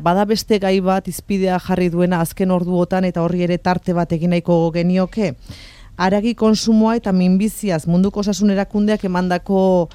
Bada beste gai bat izpidea jarri duena azken orduotan eta horri ere tarte bat egin nahiko genioke. Haragi konsumoa eta minbiziaz munduko osasun erakundeak emandako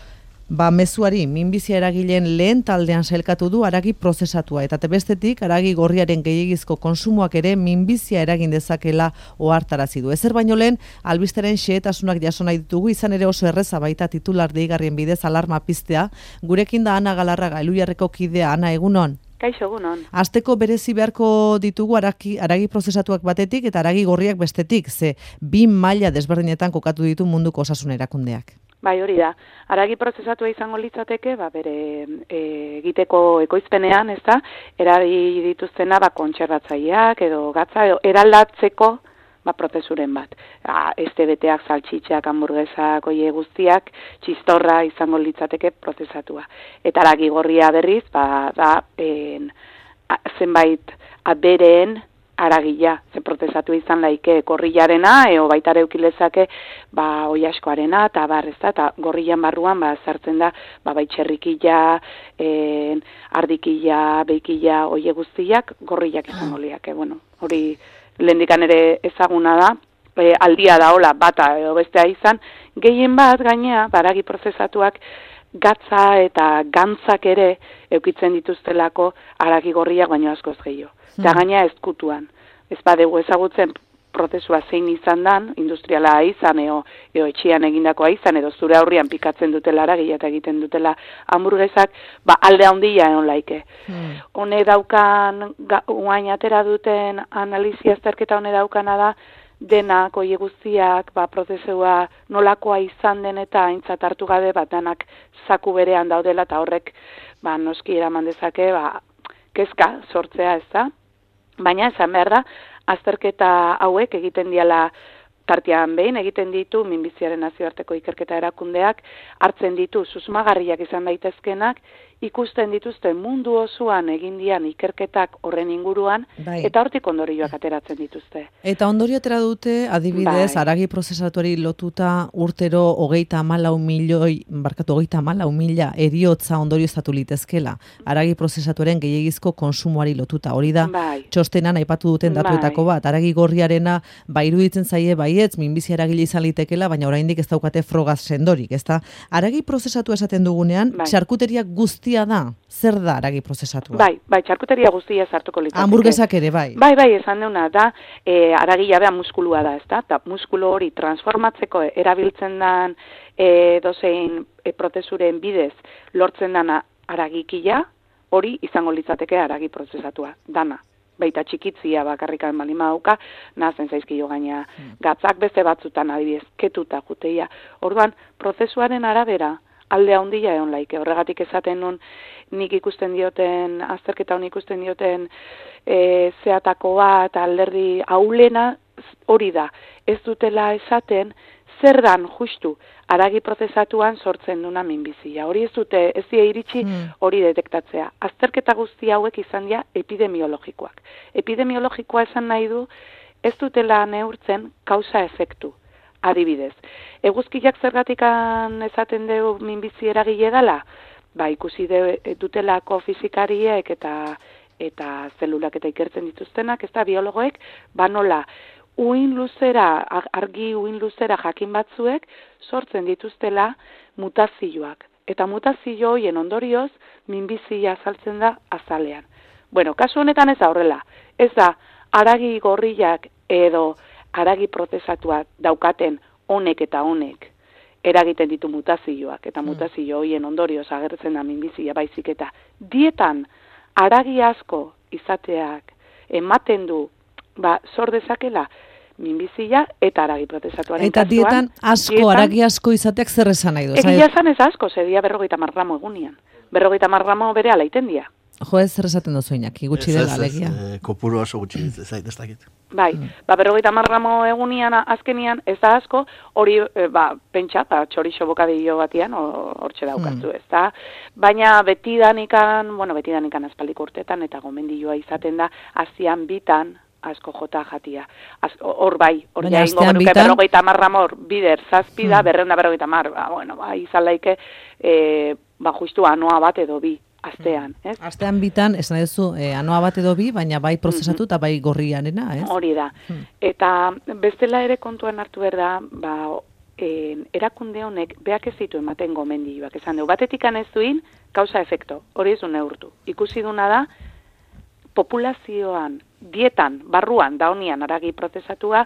mezuari minbizia eragileen lehen taldean sailkatu du haragi prozesatua eta bestetik haragi gorriaren gehiegizko konsumoak ere minbizia eragin dezakela ohartarazi du. Ezer baino lehen albisteren xehetasunak jaso nahi ditugu, izan ere oso erreza baita titular deigarrien bidez alarma piztea. Gurekin da Ana Galarraga, Elhuyarreko kidea. Ana, egunon. Kaixo, egunon. Asteko berezi beharko ditugu haragi prozesatuak batetik eta haragi gorriak bestetik, ze bi maila desberdinetan kokatu ditu munduko osasun erakundeak. Bai, hori da. Haragi prozesatua izango litzateke, bere egiteko ekoizpenean, ezta, erabili dituztena kontserbatzaileak edo gatza edo eraldatzeko prozesuren bat. Este-beteak, saltxitxak, hamburguesak, oie guztiak, txistorra izango litzateke prozesatua. Eta haragi gorria berriz, zenbait abereen haragila, ze prozesatu izan laike gorrilarena, eo baita ere ukilezake oiaskoarena, eta ezta, eta gorrilan barruan sartzen da bai txerrikila, ardikila, beikila, oie guztiak, gorrilak izango liake. Bueno, hori lehendikan ere ezaguna da, aldia da hola bata edo bestea izan, gehien bat gainea, haragi prozesatuak gatza eta gantzak ere eukitzen dituztelako haragi gorriak baino askoz gehiago. Eta gainea ezkutuan. Ez badegu ezagutzen prozesua zein izan dan, industriala izan, eo etxean egindakoa izan, edo zure aurrian pikatzen dutela haragia eta egiten dutela hamburguesak, alde handia egon laike. Hone daukan, guain atera duten analizia azterketa hone daukana da, denak, oie guztiak, prozesua nolakoa izan den eta aintzat hartu gabe, danak zaku berean daudela, eta horrek, noski eraman dezake, kezka sortzea, ez da? Baina, esan behar da, azterketa hauek egiten diala tartean behin, egiten ditu minbiziaren nazioarteko ikerketa erakundeak, hartzen ditu susmagarriak izan daitezkenak, ikusten dituzte mundu osoan egin dian ikerketak horren inguruan, eta hortik ondorioak ateratzen dituzte. Eta ondorio atera dute, adibidez, haragi prozesatuari lotuta urtero 34 mila heriotza ondorioztatu litezkela. Haragi prozesatuaren gehiegizko konsumoari lotuta. Hori da, txostenan aipatu duten datuetako bat. Haragi gorriarena iruditzen zaie baietz, minbizia eragile izan litekeela, baina oraindik ez daukate frogaz sendorik. Haragi prozesatu esaten dugunean, txarkuteria guztia da, zer da haragi prozesatua? Bai, txarkuteria guztia sartuko litzateke. Hamburguesak ere, bai. Bai, esan deuna da, haragila beha muskulua da, ezta? Eta muskulu hori transformatzeko erabiltzen dan dozein prozesuren bidez lortzen dana haragikila, hori izango litzateke haragi prozesatua, dana. Baita txikitzia bakarrikan balima dauka, nahazen zaizkio gaina gatzak beste batzutan adibidez, ketuta juteia. Orduan, prozesuaren arabera, alde handia egon laike. Horregatik esaten nun, nik ikusten dioten, azterketa honi ikusten dioten zeatakoa eta alderdi aulena hori da. Ez dutela esaten, zer dan justu haragi prozesatuan sortzen duna minbizia. Hori ez die iritsi hori detektatzea. Azterketa guzti hauek izan dira epidemiologikoak. Epidemiologikoa esan nahi du, ez dutela neurtzen kausa-efektu. Adibidez, eguzkiak zergatikan esaten dugu minbizi eragile dela, ikusi dutelako fizikariek eta zelulak eta ikertzen dituztenak, ez da biologoek, nola argi uin luzera jakin batzuek sortzen dituztela mutazioak. Eta mutazio horien ondorioz minbizia azaltzen da azalean. Bueno, kasu honetan ez da horrela. Ez da haragi gorriak edo haragi prozesatuak daukaten honek eta honek eragiten ditu mutazioak, eta mutazio horien ondorioz agertzen da minbizia baizik eta dietan haragi asko izateak ematen du sor dezakela minbizia eta haragi prozesatuaren kasuan. Eta dietan haragi asko izateak zer esan nahi du? Egia esan ez asko, zedia 50 gramo egunian. 50 gramo bere ala iten dia. Jo, ez zer esaten duzu Iñaki, gutxi dela alegia. Kopuru oso gutxi ez dakit. Bai, 50 gramo egunian azkenian ez da asko, hori pentsa, txorixo bokadillo batian, hortxe daukatzu, ez da. Baina betidanikan aspaldiko urtetan, eta gomendioa izaten da, azian bitan, asko jota jatia. Hor ja ingo genuke 50 gramo bider zazpida, 250, izan laike, justu anoa bat edo bi. astean, ez? Astean bitan, esan duzu, anoa bat edo bi, baina bai prozesatu eta bai gorrianena, ez? Hori da. Eta bestela ere kontuan hartu behar da, erakunde honek beak ez ditu ematen gomendioak. Esan dugu, batetik ez duin, kausa efekto, hori ez du neurtu. Ikusi duna da, populazioan, dietan, barruan, daunian haragi prozesatua,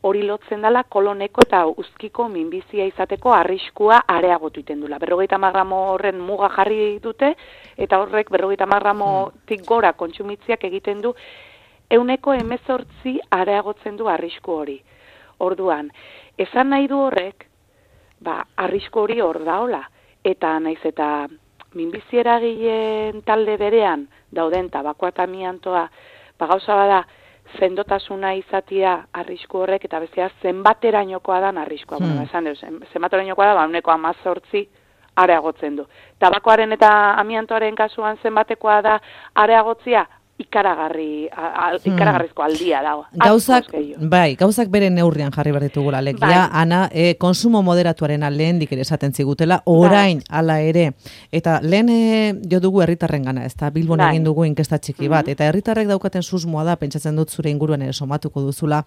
hori lotzen dela koloneko eta uzkiko minbizia izateko arriskua areagotu iten dula. 50 gramo horren muga jarri dute, eta horrek 50 gramotik gora kontsumitziak egiten du, 18% areagotzen du arrisku hori. Orduan, esan nahi du horrek, arrisku hori hor daola, eta naiz eta minbizi eragileen talde berean dauden tabakoa eta amiantoa, gauza bada, sendotasuna izatia arrisku horrek, eta bezea zenbaterainokoa dan arriskua. Esan dut, zenbaterainokoa da, 18% areagotzen du. Tabakoaren eta amiantoaren kasuan zenbatekoa da areagotzia, ikaragarrizko aldia dago. Gauzak bere neurrian jarri behar ditugula, legia, Ana, konsumo moderatuaren lehendik ere esaten zigutela, orain hala ere, eta lehen jo dugu herritarren gana, ez da, Bilbon egin dugu inkesta txiki bat, eta herritarrek daukaten susmoa da, pentsatzen dut zure inguruan ere somatuko duzula,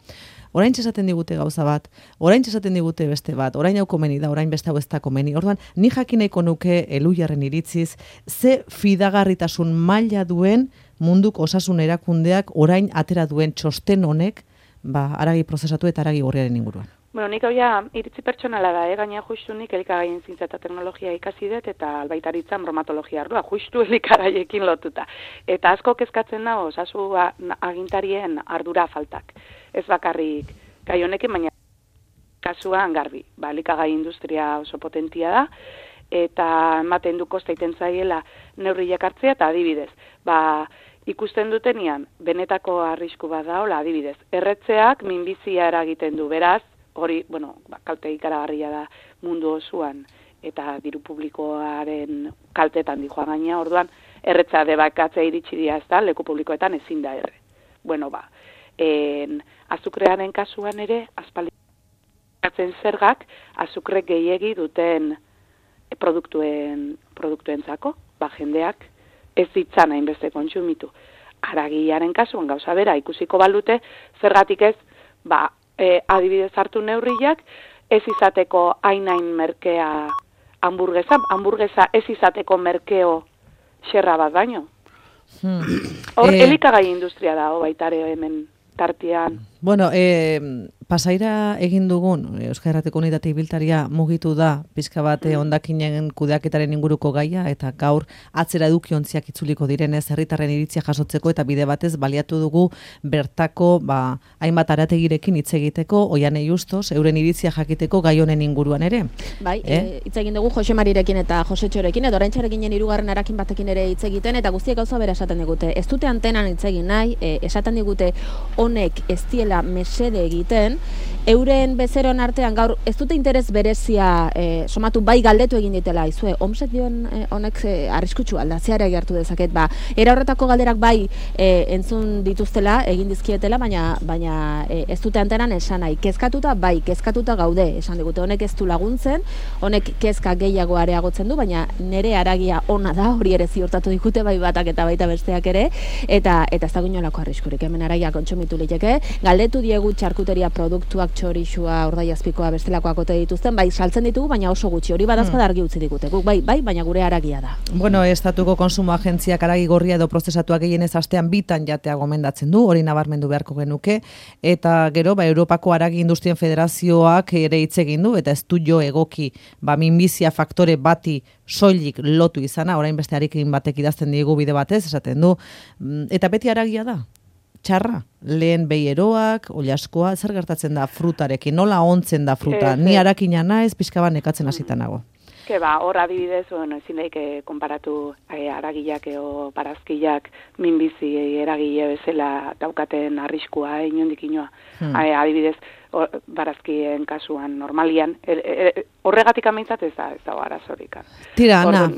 orain esaten digute gauza bat, orain esaten digute beste bat, orain hau komeni da, orain beste hau ez da komeni. Orduan, ni jakineko nuke Elujarren iritziz, ze fidagarritasun maila duen munduko osasun erakundeak orain atera duen txosten honek, haragi prozesatu eta haragi gorriaren inguruan. Bueno, nik hau ja iritzi pertsonala da, gaina justu nik elikagaien zientza eta teknologia ikasi dut, eta albaitaritzan bromatologia ardua, justu elikagaiekin lotuta. Eta asko kezkatzen da, osasu agintarien ardura faltak. Ez bakarrik gai honekin, baina kasuan garbi. Elikagai industria oso potentia da, eta ematen du kosta iten zaiela neurriak hartzea, eta adibidez, ikusten dutenian, benetako arrisku bat daola, adibidez, erretzeak minbizia eragiten du, beraz, hori, kalte ikaragarria da mundu osoan, eta diru publikoaren kaltetan dijoa gaina, orduan, erretza debakatzea iritsi dira, ez da, leku publikoetan ezin da erre. Azukrearen kasuan ere, aspalditzen zergak, azukre gehiegi duten produktuentzako, jendeak ez ditzan hainbeste kontsumitu. Haragiaren kasuan gauza bera ikusiko balute, zergatik ez, adibidez hartu neurriak, ez izateko hain merkea hamburguesa ez izateko merkeo xerra bat baino. Hor, elikagai industria da, baitare hemen tartean. Bueno, Pasaira egin dugun, Euskal Herrateko Unitate Ibiltaria mugitu da, pixka bat hondakinen kudeaketaren inguruko gaia, eta gaur atzera edukiontziak itzuliko direnez, herritarren iritzia jasotzeko, eta bide batez baliatu dugu bertako, hainbat arategirekin hitz egiteko, Oianei Justos, euren iritzia jakiteko gai honen inguruan ere. Bai, hitz egin dugu Jose Marirekin eta Jose Txorekin, edo oraintxarekin hirugarren arakin batekin ere hitz egiten, eta guztiek gauza bera esaten digute. Ez dute antenan hitz egin nahi, esaten digute honek ez diela mesede egiten, euren bezeron artean gaur ez dute interes berezia somatu bai galdetu egin ditela, izue, omsek dion honek arriskutsu aldatzeara gertu dezaket, era horretako galderak bai entzun dituztela, egin dizkietela, baina ez dute antenan esan nahi, kezkatuta gaude, esan digute, honek ez du laguntzen, honek kezka gehiago areagotzen du, baina nere haragia ona da, hori ere ziurtatu dikute bai batak eta baita besteak ere, eta ez dago inolako arriskurik, hemen haragia kontsumitu liteke, galdetu diegu txarkuteria produktuak txorixua, urdaiazpikoa, bestelakoak ote dituzten, bai saltzen ditugu, baina oso gutxi, hori badazpada argi utzi digute, guk bai, baina gure haragia da. Bueno, Estatuko Konsumo Agentziak haragi gorria edo prozesatuak gehienez astean bitan jatea gomendatzen du, hori nabarmendu beharko genuke, eta gero, Europako Haragi Industrien Federazioak ere hitz egin du, eta ez du jo egoki, minbizia faktore bati soilik lotu izana, orain beste harikin batek idazten digu bide batez, esaten du, eta beti haragia da. Txarra, lehen beieroak, oliaskoa, zer gertatzen da frutarekin, nola ontzen da fruta, ni harakina naiz, pixka bat nekatzen hasita nago. Hor adibidez, ezin daik konparatu haragiak edo barazkiak minbizi eragile bezala daukaten arriskua, inondik inoa. Adibidez, barazkien kasuan normalian, horregatik amaitzat ez da arazorik. Tira, Ana,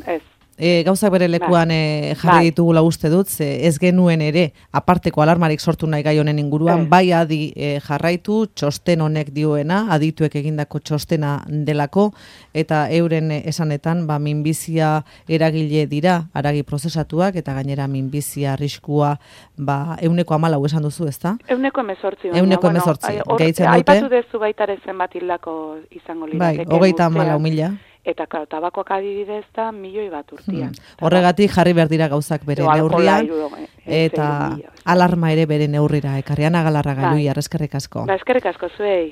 gauzak bere lekuan jarri ditugula uste dut, ez genuen ere aparteko alarmarik sortu nahi gai honen inguruan, bai adi jarraitu, txosten honek dioena, adituek egindako txostena delako, eta euren esanetan, minbizia eragile dira, haragi prozesatuak, eta gainera minbizia arriskua, 14 esan duzu, ezta? 18. 18, gehitzen dute. Aipatu dezu baitare zenbat hildako izango lirateke. Bai, 34.000. Eta tabakoak adibidez da 1.000.000 urtean. Horregatik jarri behar dira gauzak bere neurrian, eta alarma ere bere neurrira. Ekarriana Galarraga, Luia, eskerrik asko. Eskerrik asko zuei.